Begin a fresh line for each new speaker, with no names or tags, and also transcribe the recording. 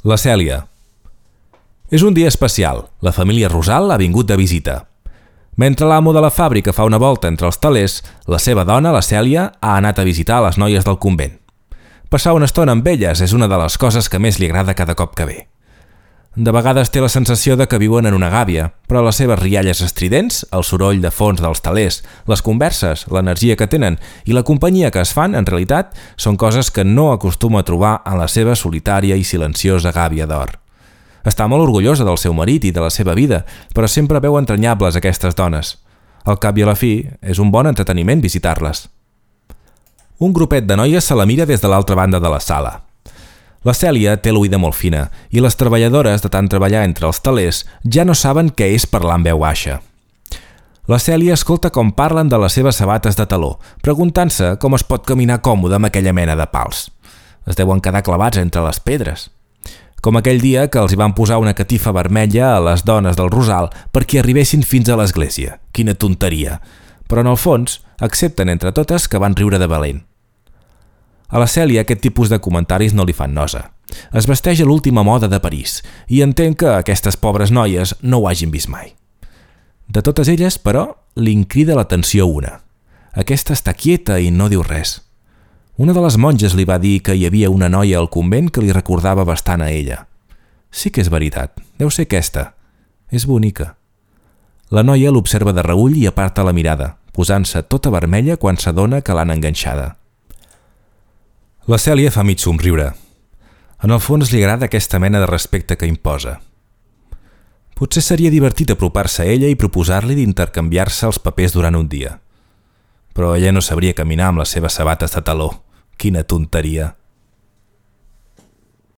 La Cèlia. És un dia especial. La família Rosal ha vingut de visita. Mentre l'amo de la fàbrica fa una volta entre els telers, la seva dona, la Cèlia, ha anat a visitar les noies del convent. Passar una estona amb elles és una de les coses que més li agrada cada cop que ve. De vegades té la sensació de que viuen en una gàbia, però les seves rialles estridents, el soroll de fons dels telers, les converses, l'energia que tenen i la companyia que es fan, en realitat, són coses que no acostuma a trobar en la seva solitària i silenciosa gàbia d'or. Està molt orgullosa del seu marit i de la seva vida, però sempre veu entranyables aquestes dones. Al cap i a la fi, és un bon entreteniment visitar-les. Un grupet de noies se la mira des de l'altra banda de la sala. La Cèlia té l'oïda molt fina i les treballadores, de tant treballar entre els telers, ja no saben què és parlar en veu baixa. La Cèlia escolta com parlen de les seves sabates de taló, preguntant-se com es pot caminar còmode amb aquella mena de pals. Es deuen quedar clavats entre les pedres. Com aquell dia que els hi van posar una catifa vermella a les dones del Rosal perquè arribessin fins a l'església. Quina tonteria! Però en el fons, accepten entre totes que van riure de valent. A la Cèlia aquest tipus de comentaris no li fan nosa. Es vesteix a l'última moda de París i entén que aquestes pobres noies no ho hagin vist mai. De totes elles, però, li crida l'atenció una. Aquesta està quieta i no diu res. Una de les monges li va dir que hi havia una noia al convent que li recordava bastant a ella. Sí que és veritat, deu ser aquesta. És bonica. La noia l'observa de reüll i aparta la mirada, posant-se tota vermella quan s'adona que l'han enganxada. La Cèlia fa mig somriure. En el fons li agrada aquesta mena de respecte que imposa. Potser seria divertit apropar-se a ella i proposar-li d'intercanviar-se els papers durant un dia. Però ella no sabria caminar amb les seves sabates de taló. Quina tonteria!